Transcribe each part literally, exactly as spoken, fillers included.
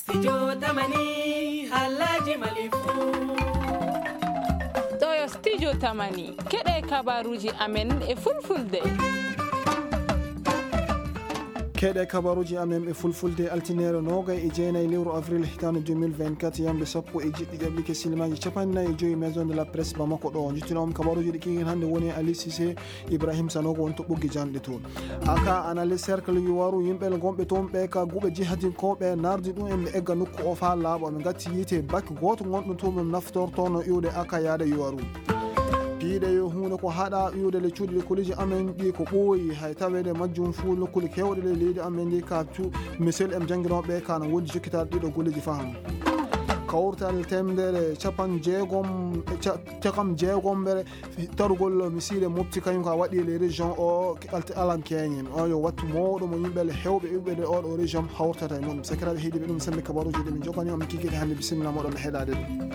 Studio Tamani, Halaji Malifu. Toyo Studio Tamani, keɗe kabaruji amen e fulfulde. Keɗe kabaruji amen e fulfulde, altinere nogay e jeenay lewru avril hitaande deux mille vingt-quatre, yamde sappo e jeɗɗi ƴaɓɓike, silimaji capanɗe nayi e joyi, Maison de la Presse Bamako ɗo. Jittinoomi kabaruji ɗi kikin hannde woni Ali Cissé, Ibrahim Sanogo woni to ɓoggi janɗe to. Aka ana le cercle yuwaru, yimɓe le gonɓe toon ɓe ka guɓe jihadinkooɓe nardi ɗum en ɓe egga nokku o faa laaɓa. Ɓe ngatti yiite bakki gooto gonɗo toon ɓe naftortoono iwde aka yaade yuwaru. Piiɗe yo huunde ko haɗa iwde le cuuɗi le koliji amen ɗi ko ɓooyi, hay taweede majjum fuu nokkuule keewɗe le leydi amen ndi ka tu misel em jannginooɓe ka no wondi jokkitaade ɗiɗo golleji faham. Kawtal temedere capan jeegom e ca-, cakam jeegombere tarugol misiide mofti kañum ka waɗi e les régions o alam keñen. O yo wattu mawɗo mo yimɓe le hewɓe iwɓe nde oɗo région hawtata e muɗum. Sakiraaɓe heediiɓe ɗum sembe kabaruuji ɗi min jokkani on mi kikiɗe hannde. Bisimilla moɗon e heɗaade ɗum.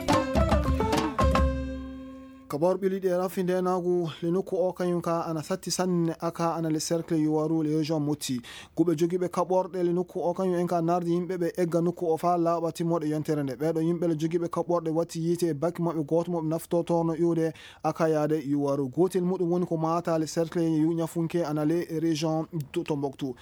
Kabaru ɓili ɗi e rafi ndenaagu le nokku o kañum ka ana satti sanne aka ana le cercle yuwaru le région motti. Guɓe jogiiɓe kaɓorɗe le nokku o kañum en ka nardi yimɓe ɓe egga nokku o faa laaɓa timmoɗe yontere nde. Ɓeeɗo yimɓe le jogiiɓe kaɓorɗe watti yiite e bakki maɓɓe gooto mo ɓe naftortorno iwde aka yaade yuwaru. Gootel muɗum woni ko maata le cercle yu ñafunke ana le région to Tombouctou.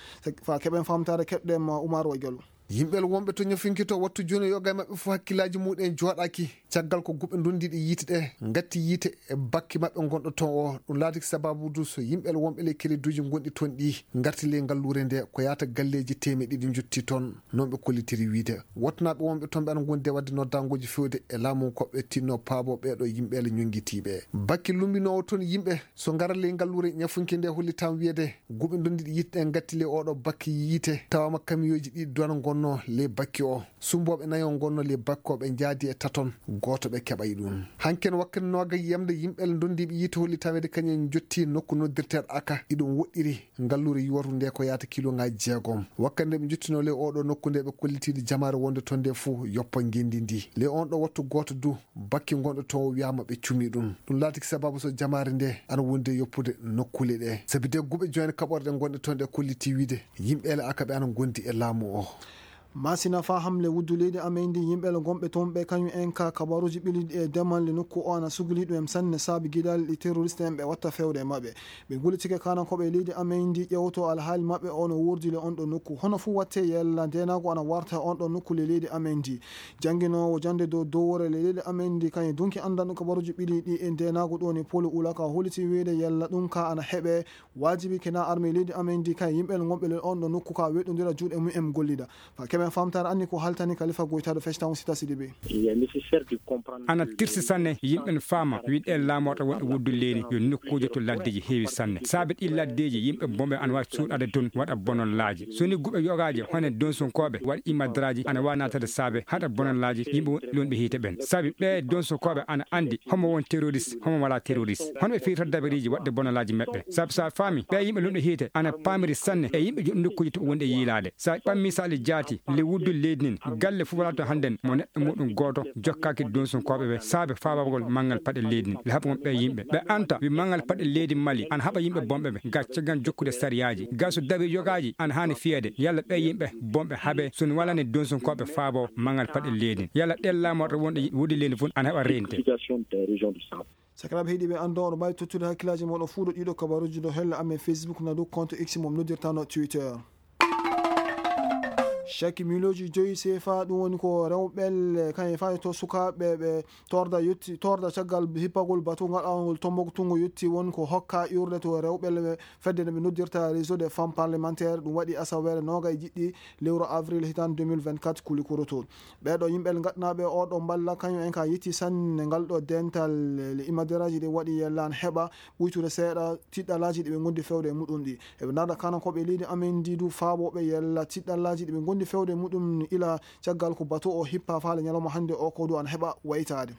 Fa keɓen famtaare keɓɗen ma Oumar Wadiallo. Yimɓe wonɓe to ñafunke to wattu jooni yoga e maɓɓe fof hakkillaaji muɗum en jooɗaaki. Caggal ko guɓe ndondiiɗe yiite ɗe ngatti yiite e bakki maɓɓe gonɗo toon o. Ɗum laatiki sababu du so yimɓe wonɓe le crédit uji gonɗi toon ɗi ngarti le ngalluure nde ko yaata galleeji teemeɗe ɗiɗi njotti toon. Noon ɓe kollitiri wiide wattanaaɓe wonɓe toon ɓe ana ngondi e waɗde noddaangooji fewde e laamu ko ɓe tinno paabo ɓeeɗo yimɓe le ñonngitiiɓe. Bakki lumbinoowo toon yimɓe so ngara le ngalluure ñafunke nde hollitam wiyede guɓe ndondiiɗe yiite ɗe ngatti le oɗo bakki yiite tawama kamiyooji ɗi dona gonno le bakki o. Sumbooɓe nayo ngonno le bakko ɓe njaadi e taton, gooto ɓe keɓay ɗum. Hanken wakkati nooga yiyamde yimɓe le ndondiiɓe yiite holli taweede kañum en jotti nokku noddirteeɗo aka iɗum woɗɗiri ngalluure yuwatu nde ko yaata kiloŋaaji jeegom. Wakkati nde ɓe njottinoo le oɗo nokku nde ɓe kollitiiɗi jamaare wonde toon nde fuu yoppa ngenndi ndi. Le on ɗo wattu gooto du bakki gonɗo to o wiyaama ɓe cumi ɗum. Ɗum laatiki sababu so jamaare nde ana wondi e yoppude nokkuule ɗe. Sabi de guɓe jooni kaɓorɗe gonɗe toon ɗe kolliti wiide yimɓe le aka ɓe ana ngondi e laamu o. Masina faham le wuddu leydi amen ndi yimɓe le gonɓe toon ɓe kañum en ka kabaruuji ɓiliɗi e demal le nokku o ana sugli ɗum en sanne saabi gidal ɗi terroriste en ɓe watta fewde e maɓɓe. Ɓe gullitike kanankooɓe leydi amen ndi ƴewto alhaali maɓɓe o no wurdi le on ɗo nokku. Hono fuu watte yella ndenaago ana warta on ɗo nokku le leydi amen ndi. Jannginoowo jannde dow dowore le leydi amen ndi kañum dunki anndanɗo kabaruuji ɓiliɗi e ndenaago ɗo ni Polo Ulaka holliti wiide yella ɗum ka ana heɓe. Waajibi kena armée leydi amen ndi kay yimɓe gonɓe le on ɗo nokku ka weɗɗondira juuɗe mum en gollida. Fa keɓen famtaare anni ko haltani Kalifa Goytaɗo Festan Sita Sidibe. Il est nécessaire de comprendre ana que tirsi sanne yimɓe no faama wiɗe laamorɗo wonɓe wuddu leydi yo nokkuuji to laddeji heewi sanne. Saabe ɗi laddeji yimɓe bomɓe ana waawi suuɗade toon waɗa bonol laaji. So ni guɓe yogaaji hone donsunkooɓe waɗa imadraaji ana waawi naatade saabe haɗa bonol laaji yimɓe wonɓe lonɓe hiite ɓen. Saabi ɓe donsunkooɓe ana anndi homo won terroriste homo wala terroriste. Hono ɓe firta dabariiji waɗde bonolaaji maɓɓe. Sabu so a faami ɓe yimɓe lunɗo hiite ana paamiri sanne e yimɓe joɗɗo nokkuuji to wonde yiilaade. So a ɓammi so aɗa jaati le wuddu leydi nin galle fof wala to hannden mo neɗɗo muɗum gooto jokkaaki donsunkooɓe ɓe saabe faabagol manngal paɗe leydi nin le haɓa won ɓe yimɓe ɓe anta wi manngal paɗe leydi mali ana haɓa yimɓe bonɓe ɓe ga caggal jokkude sariyaaji ga so dawi yogaaji ana haani fiyeede yalla ɓe yimɓe bonɓe haɓe so walani donsunkooɓe faabo manngal paɗe leydi nin yalla ɗen laamorɗo wonɗo wuddu leydi fof ana heɓa reente. Sakiraaɓe heɗiiɓe anndo oɗo mbaawi tottude hakkillaaji mooɗon fuu ɗo ɗiɗo kabaruuji ɗo hella amen Facebook na dow compte X mo noddirtano Twitter. Caki miliyonji joyi C F A ɗum woni ko rewɓe kañum faade to sukaaɓe ɓe torda yetti torda caggal hippagol batu ngaɗaangol Tombouctou ngo yetti woni ko hokka iwrude to rewɓe fedde nde ɓe noddirta réseau des femmes parlementaires ɗum waɗi asaweere noogay jiɗɗi lewru avril hitaande deux mille vingt-quatre kuli koroto. Ɓeeɗo yimɓe ngaɗanaaɓe oo ɗoo mballa kañum en ka yetti sanne ngal ɗoo dental le imaderaaji ɗi waɗi yellaan heɓa ɓuytude seeɗa tiɗɗalaaji ɗi ɓe ngondi fewde e muɗum ɗi. Eɓe naada kanankooɓe leydi amen ndi du faabooɓe yella tiɗɗalaaji ɗi ɓe ngondi fewde e muɗum ila caggal ko bato o hippa faale ñalawma hannde o ko du ana heɓa waytaade.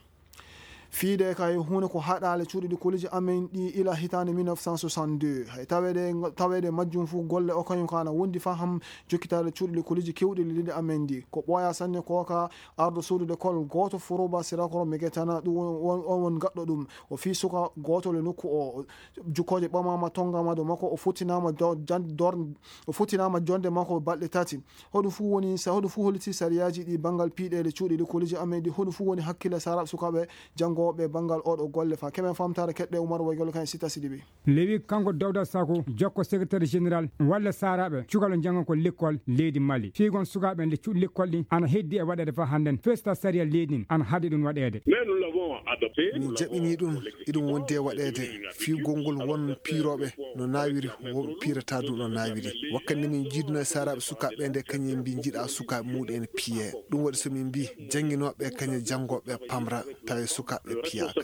Fiide kay huunde ko haɗaale cuuɗi likkooliji amen ɗi ila hitaande mille neuf cent soixante-deux. Hay taweede, taweede majjum fof golle o kañum ka ana wondi faham jokkitaade cuuɗi likkooliji keewɗi leydi amen ndi. Ko ɓooya sanne ko ka arɗo suudu lekkool gooto Foroba Sirakoro Megetana, ɗum won, won, on won gaɗɗo ɗum. O fii suka gooto le nokku o. Jukkooje ɓamaama, tonngaama dow makko, o futtinaama do-, jan-, dor-, o futtinaama jonde makko balɗe tati. Hoɗum fof woni sa-, hoɗum fof holliti sariyaaji ɗi banngal piiɗeele cuuɗi likkooliji amen ɗi, hoɗum fof woni hakkille saaraaɓe sukaaɓe janngooɓe banngal oɗo golle fa. Keɓen famtaare keɗɗe Umar Waygol kan e Sita Sidibe. Lewi kanko Dawda Sako, jokko secrétaire général walla saaraaɓe cukalɓe njannga ko lekkol leydi Mali. Fiigon sukaaɓe nde cuuɗi lekkol ɗi ana heddi e waɗeede fa hannden. Festa sariya leydi ndin ana haɗi ɗum waɗeede. Min jaɓinii ɗum, iɗum wondi e waɗeede. Fii gonngol won piirooɓe no naawiri, wonɓe piirataa du no naawiri. Wakkati nde min njiidunoo e saaraaɓe sukaaɓe ɓe nde, kañum en mbii njiɗaa sukaaɓe muuɗum en piyee. Ɗum waɗi so min mbii jannginooɓe kañum janngooɓe pamra, tawi sukaaɓe piyaaka.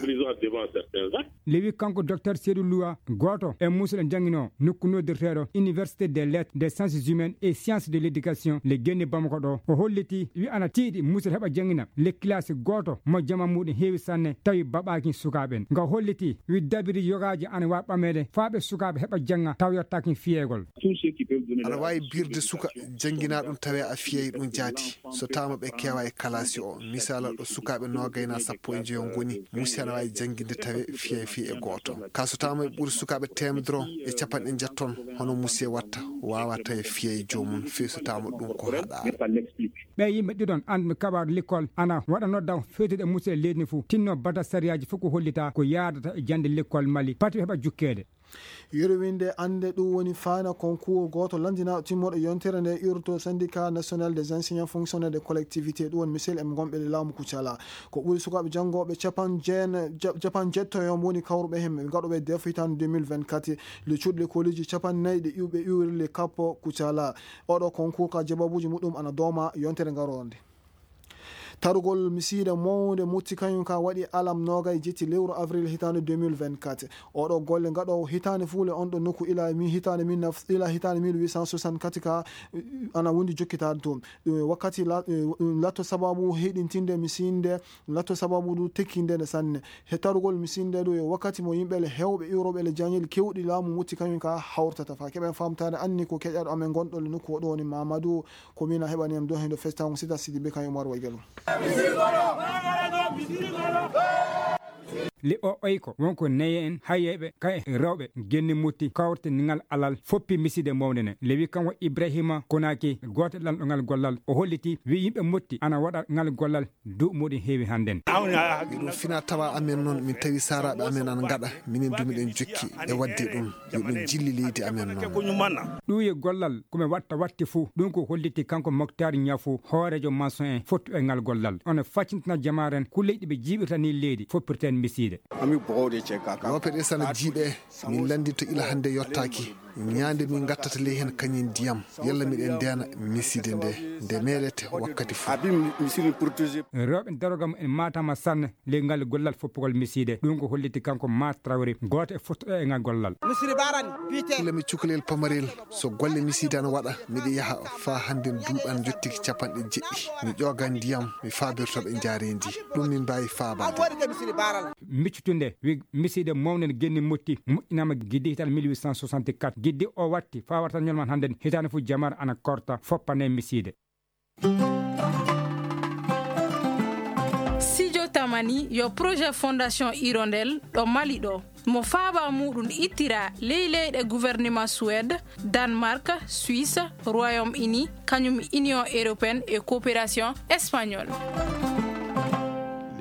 Lewi kanko Docteur Seydou Loua, gooto e musuɗo jannginoo nokku noddirteeɗo Université des Lettres, des Sciences Humaines et Sciences de l'Éducation, le Guéni Bamako ɗo. O holliti wi ana tiiɗi musuɗo heɓa janngina le classe gooto mo jama muuɗum heewi sanne, tawi baɓaaki sukaaɓe en. Nga holliti wi dabiri yogaaji ana waawi ɓameede faa ɓe sukaaɓe heɓa jannga taw yottaaki fiyeegol. Aɗa waawi birde suka janngina ɗum tawi a fiyay ɗum jaati. So taama ɓe keewa e kalaasi o, misaala ɗo sukaaɓe noogay na sappo e njoyo ngoni, musi ana waawi jannginde tawi fiyay fii e gooto. Ka so taama ɓe ɓuri sukaaɓe teemedere e capanɗe njetton, hono musi watta, waawa tawi fiyay joomum fii so taama ɗum ko haɗaare. Ɓe yimɓe ɗiɗon annduɓe kabaaru lekkol ana waɗa nodda fewtude e musidɓe leydi ndi fof, tinno bata sariyaaji fof ko hollita ko yaadata e jannde lekkol Mali, pati ɓe heɓa jukkeede. Yurwinde annde ɗum woni faana concours gooto lanndinaaɗo timmorɗo yontere nde urto Syndicat National des Enseignants Fonctionnaires de Collectivité, ɗum woni misel e gonɓe e laamu Kucala. Ko ɓuri sukaaɓe janngooɓe capan jeen-, ja-, capan jeetto e on woni kawruɓe heen, ɓe ngaɗuɓe def hitaande deux mille vingt-quatre, le cuuɗi lekkooliji capan nayi ɗe iwɓe iwri le kappo Kucala. Oɗo concours ka jababuuji muɗum ana dooma yontere ngaroonde. Tarugol misiide mawnde mutti kañum ka waɗi alam noogay jetti lewru avril hitaande deux mille vingt-quatre. Oɗo golle ngaɗoowo hitaande fuule on ɗo nokku ila mi hitaande mille neuf, ila hitaande mille huit cent soixante-quatre ka, eh, ana wondi jokkitaade toon. Ɗum wakkati la-, eh, ɗum latto sababu heɗintinde misiide, latto sababu du tekkinde nde sanne. He tarugol misiide ɗo yo wakkati mo yimɓe le hewɓe iwroɓe le jañel kewɗi laamu mutti kañum ka hawrtata fa. Keɓen famtaade anni ko keƴaɗo amen gonɗo le nokku o ɗo woni Mamadou. Ko min a heɓani am do hendo festa on Sita Sidibe kan Umar Waygalo. Le o oyko wonko neye en hayyeɓe kay rewɓe genni mutti kawrte ngal alal foppi miside mawde ne. Le wi kanko Ibrahima Konaki gooto lanɗo ngal gollal o holliti wi yimɓe mutti ana waɗa ngal gollal du muɗum heewi hannden. Ɗum fina tawa amen noon min tawi saaraaɓe amen ana ngaɗa minen du miɗen jokki e waɗde ɗum. Yo ɗum jilli leydi amen noon. Ɗuuye gollal ko mi watta watti fuu, ɗum ko holliti kanko Moktaar Ñafu, hooreejo maçon en fottu e ngal gollal. Ono faccintina jamaaren ko leydi ɓe jiiɓirta ni leydi, foppirten misiide. Loope ɗe sana jiiɓe, min lanndinto ila hannde yottaaki. Ñaande min ngattata ley heen kañum ndiyam, yalla miɗen ndeena misiide nde, nde meeɗete wakkati fuu. Rewɓe daroga mum en maatama sanne. Ley ngal gollal foppugol misiide. Ɗum ko holliti kanko Ma Traoré, gooto e fottuɗo e ngal gollal. Ila mi cukalel pamarel, so golle misiide ana waɗa, miɗo yaha faa hannde duuɓi ana njottiki capanɗe jeɗɗi. Mi ƴooga ndiyam, mi faabirto ɓe njaareendi. Ɗum min mbaawi faabaade. Miccutunde, wi misiide mawnen genni mutti, moƴƴinaama giddital mille huit cent soixante-quatre. Giddi o watti faa warta ñolman hannden, hitaande fof jamaare ana korta, foppane misiide. Sijo Tamani yo projet Fondation Hirondelle ɗo Mali ɗo. Mo faaba muɗum ittira ley leyɗe gouvernement Suède, Danemark, Suisse, Royaume-Uni, kañum Union Européenne e Coopération Espagnole.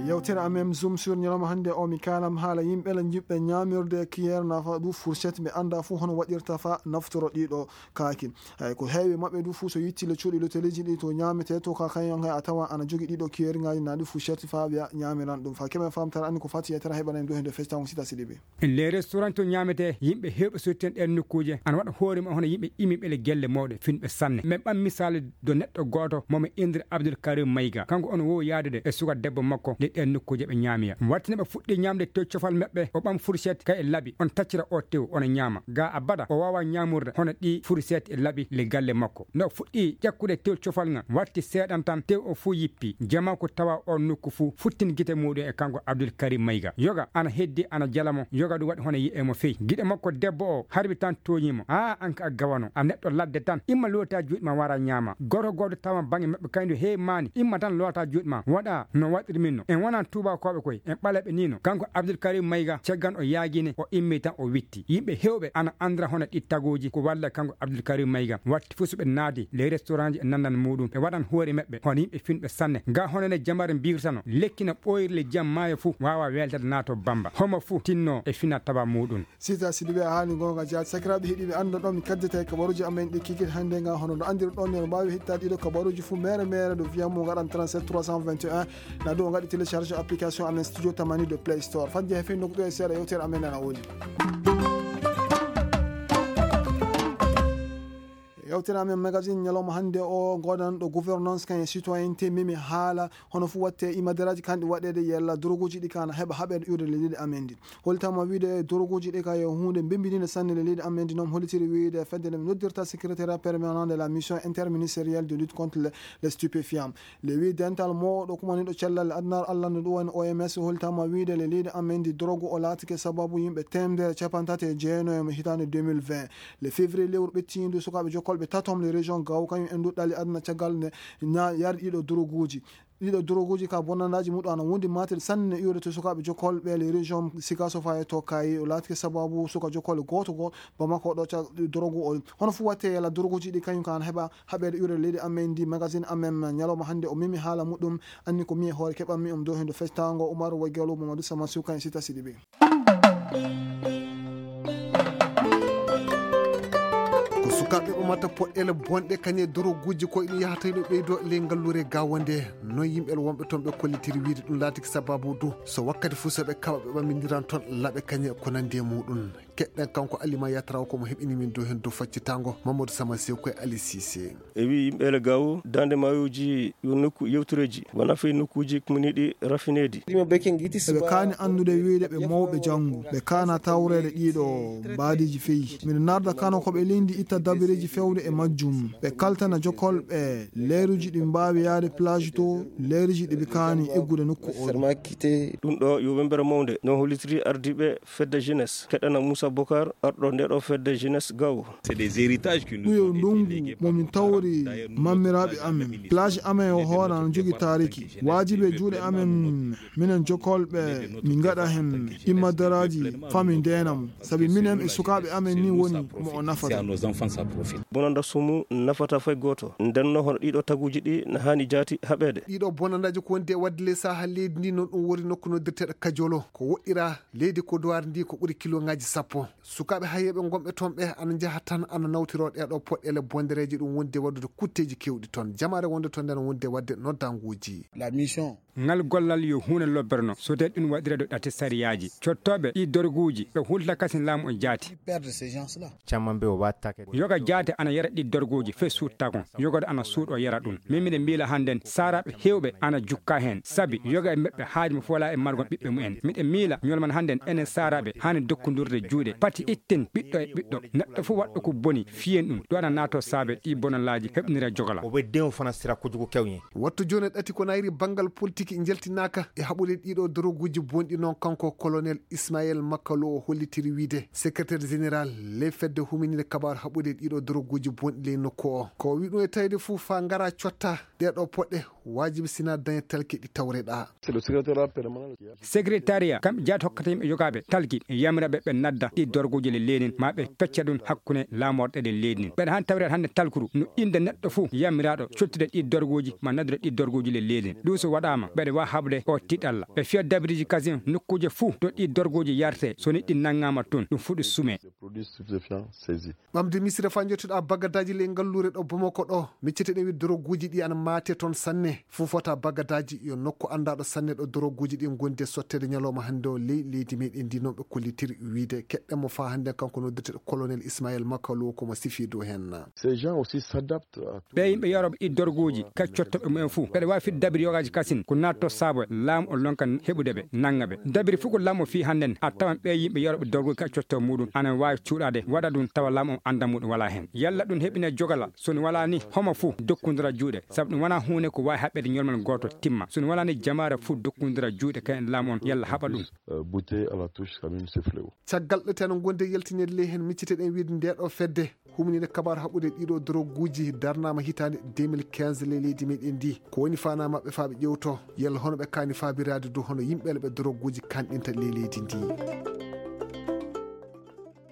Yewtere amen Zoom sur ñalawma hannde o mi kaalam haala yimɓe la jiɓɓe ñaamirde cuillère nafa ɗum fourchette ɓe annda fof hono waɗirta fa naftoro ɗiɗo kaaki. Eyi, ko heewi maɓɓe du fof so yetti le cuuɗi loteleeji ɗi to ñaametee to ka kañum hay a tawa ana jogi ɗiɗo cuillère ngaji na ɗi fourchette fa ɓe ñaamiran ɗum fa keɓen famtara anni ko fati yettere heɓanen du hende festa on Sita Sidibe. Les restaurants to ñaametee yimɓe heewɓe sottihen ɗeen nokkuuje ana waɗa hoore mum hono yimɓe imiɓe le gelle mawɗe finɓe sanne. Men ɓam misaali do neɗɗo gooto mo mi indiri Abdul Karim Mayga. Kanko ono wowi yaadude e suka debbo makko le e nokkuuje ɓe ñaamiya. Wattine ɓe fuɗɗi ñaamde tew cofal maɓɓe, o ɓam furset kay e laɓi, on taccira o tew, ona ñaama. Ga abada, o waawa ñaamurde hono ɗi furset e laɓi le galle makko. No fuɗɗi ƴakkude tew cofal ngal, watti seeɗan tan, tew o fuu yippi. Jama ko tawa o nokku fuu, futtin gite muuɗum e kanko Abdul Karim Mayga. Yoga ana heddi, ana jalamo, yoga ɗum waɗi hono yi'e mo fey. Giɗo makko debbo o harbi tan tooñi mo. "Aa, an ka a gawano, a neɗɗo ladde tan, imma loota juuɗe ma wara ñaama." Gooto gooto tawa baŋnge maɓɓe kaydu, "Hey maani, imma tan loota juuɗe ma, waɗa no waɗiri min no." En wona tuubakooɓe koy, en ɓaleeɓe ni no. Kanko Abdul Karim Mayga, caggal o yaagine, o immi tan o witti. Yimɓe heewɓe ana andira hono ɗi tagooji ko walla kanko Abdul Karim Mayga. Watti fuu so ɓe naadi le restaurant ji e nandan muuɗum, ɓe waɗan hoore maɓɓe hono yimɓe finɓe sanne. Ga hono ne jamare mbirtano, lekki no ɓooyri le jam maayo fuu waawa weltade naato Bamba. Homo fuu tinno e fina taba muuɗum. Sita Sidibe a haali goonga jaati. Sakiraaɓe heɗiiɓe, annda ɗo mi kaddete e kabaruuji amen ɗi kikiiɗe hannde nga, hono no anndirɗon ni, no mbaawi heɗitaade ɗiɗo kabaruuji fuu mere mere ɗo via mo ngaɗan trente-sept trois cent vingt et un. Na ɗo ngaɗi télécharge application amen Studio Tamani de Play Store. Fadde he fii nokku ɗo e seeɗa yewtere amen ana woni. Yewtere amen magazine ñalawma hannde o, ngoɗan ɗo gouvernance kan e citoyenneté, mimi haala hono fuu watte imaderaaji kan ɗi waɗeede yalla doroguuji ɗi kan heɓa haɓeede iwde leydi amen ndi. Holtama wiide doroguuji ɗi ka yo huunde mbembininde sanne le leydi amen ndi, noon hollitiri wiide fedde nde noddirta secrétariat permanent de la mission interministérielle de lutte contre le, les stupéfiants. Le wi dental mawɗo kumaniiɗo cellal aduna Allah no ɗum woni O M S holtama wiide le leydi amen ndi dorogu o laatike sababu yimɓe temedere capantati e jeenayo mo hitaande deux mille vingt. Le février lewru ɓettiindu sukaaɓe jokkolɓe tatom le région Gao kañum en duɗɗali aduna caggal nde na yardi ɗiɗo doroguuji. Ɗiɗo doroguuji ka bonnandaaji muɗum ana wondi matel sanne iwde to sukaaɓe jokkolɓe le région Sikasofa e to Kayi. O laatike sababu suka jokkolɓe gooto gooto Bamako ɗo ca dorogu o. Hono fuu watte yalla doroguuji ɗi kañum kan heɓa haɓeede iwde leydi amen ndi. Magazine amen ñalawma hannde o memi haala muɗum. Anni ko mi e hoore keɓanmi um dow hendo festango Umar Wagelo Mamadou Sama Suka en Sita Sidibe. Ko sukaaɓe ɓamata poɗɗeele bonɗe kañe doroguuji ko ɗum yahata no ɓeydo ley ngalluure Gao nde. Noon yimɓe wonɓe toon ɓe kollitiri wiide ɗum laatiki sababu du so wakkati fuu so ɓe kaɓa ɓe ɓammindiran toon laɓe kañe ko nandi e muɗum. Keɗɗen kanko Alima Yataraw ko mo heɓini min dow heen dow faccitango Mamadou Sama Sew koye Ali Cissé. E wi yimɓe ele Gao, dande maayooji yo nokku yewtureeji, wona fey nokkuuji kumaniiɗi rafineedi. Eɓe kaani anndude wiyde ɓe mawɓe janngu, ɓe kaana tawreede ɗiɗo mbaadiiji feyi. Miɗo narda kano ko ɓe leydi itta dabireeji fewde e majjum. Ɓe kaltana jokolɓe leeruji ɗi mbaawi yaade plage to, leeruji ɗi ɓe kaani eggude nokku o. Ɗum ɗo yo wembere mawnde, no hollitiri ardiiɓe fedde jeunesse, keɗana Moussa Bokar, arɗo nde ɗo fedde jeunesse Gao. Ɗum yo ndongu mo min tawri mammiraaɓe amen. Plage amen o hoore ana jogi taariki. Waajibi e juuɗe amen, minen jokolɓe, min ngaɗa heen immadaraaji faa min ndeena mo. Sabi minen e sukaaɓe amen ni woni mo o nafata. Bonanda sumu nafata fay gooto. Nden no hono ɗiɗo taguuji ɗi na haani jaati haɓeede. Ɗiɗo bonandaaji ko wondi e waɗde ley saha leydi ndi noon ɗum woni nokku noddirteeɗo Kajolo. Ko woɗɗira leydi ko duwaar ndi ko ɓuri kiloŋaaji sappo. Sukaaɓe hayeeɓe ngonɓe toon ɓe ana njaha tan ana nawtiro ɗeeɗo poɗɗeele bondereeje ɗum wondi e waɗude kutteeji keewɗi toon. Jamaare wonde toon nden wondi e waɗde noddaanguuji. La mission. Ngal gollal yo huunde lobbere no, so tawii ɗum waɗireede ɗate sariyaaji. Cottooɓe ɗi dorguuji, ɓe hulta kasin laamu o jaati. Perdre ces gens-là. Camma mbe o wattake. Yoga jaate ana yara ɗi dorguuji fe suuttagon. Yoga ana suuɗo yara ɗum. Min miɗen miila hannden saaraaɓe heewɓe ana jukka heen. Sabi yoga e maɓɓe haaju mo fola e margon ɓiɓɓe mumen. Miɗen miila ñolman hannden enen saaraaɓe haani dokkundurde juuɗe. Pati itten ɓiɗɗo e ɓiɗɗo. Neɗɗo fof waɗɗo ko boni, fiyen ɗum. Ɗo ana naato saabe ɗi bonalaaji heɓnira jogala. O wedde o fana sira ko jogo kewñe. Wattu jooni e ɗati ko nayri banngal politique njaltinaaka e haɓude ɗiɗo doroguuji bonɗi noon kanko colonel Ismaël Makalo o hollitiri wiide secrétaire général ley fedde humininde kabaar haɓude ɗiɗo doroguuji bonɗi ley nokku o. Ko o wi ɗum e tawde fof faa ngara cotta ɗeeɗo poɗɗe waajibi sina daña talki ɗi tawreɗa. Secrétariat kam jaati hokkata yimɓe yogaaɓe talki yamiraɓe ɓe nadda ɗi dorguuji le leydi ma ɓe pecca ɗum hakkunde laamorɗe ɗe leydi. Ɓeɗa han tawreɗa hannde talkuru no innde neɗɗo fof yamiraɗo cottude ɗi dorguuji ma naddude ɗi dorguuji le leydi. Ɗum so waɗaama ɓeɗa waawi haɓude o tiɗalla. Ɓe fiya dabiriji kasin nokkuuje fof to ɗi dorguuji yarte so ni ɗi nanngaama toon ɗum fuɗi sume. Ɓamde misira faa njottuɗa bagadaaji ley ngalluure ɗo Bamako ɗo, miccete ɗen wi doroguuji ɗi ana maate toon sanne. Fuu fota bagadaaji yo nokku anndaɗo sanne ɗo doroguuji ɗi ngondi e sotteede ñalawma hannde o ley leydi meɗen ndi noon ɓe kollitiri wiide Ɗemmo faa hannden kanko noddirteeɗo colonel Ismaël Makalo ko mo sifi dow heen. Ces gens aussi s'adaptent à tout. Ɓee yimɓe yorooɓe ɗi dorguuji ka cottoɓe mumen fuu ɓeɗe waawi fitde dabiri yogaaji kasin ko naatto saabo laamu o lonka heɓude ɓe nannga ɓe dabiri fuu ko laamu o fii hannden a tawan ɓee yimɓe yorooɓe dorguuji ka cotto muɗum ana waawi cuuɗaade waɗa ɗum tawa laamu o annda muɗum walaa heen yalla ɗum heɓine jogala so ɗum walaa ni homo fuu dokkundira juuɗe sabu ɗum wonaa huunde ko waawi haɓɓeede ñolmal gooto timma so ɗum walaa ni jamaare fuu dokkundira juuɗe kayen laamu on yalla haɓa ɗum. Bouté à la touche, ça même ce fléau. Caggal ɗo teno gonde yaltinede ley heen micciteɗen wiide nde ɗo fedde humninde kabaru haɓɓude ɗiɗo droguuji darnama hitaande deux mille quinze ley leydi meɗen ndi ko woni fana maɓɓe faa ɓe ƴewto yalla hono ɓe kaani faabiraade dow hono yimɓe ɓe droguuji kanɗinta ley leydi ndi.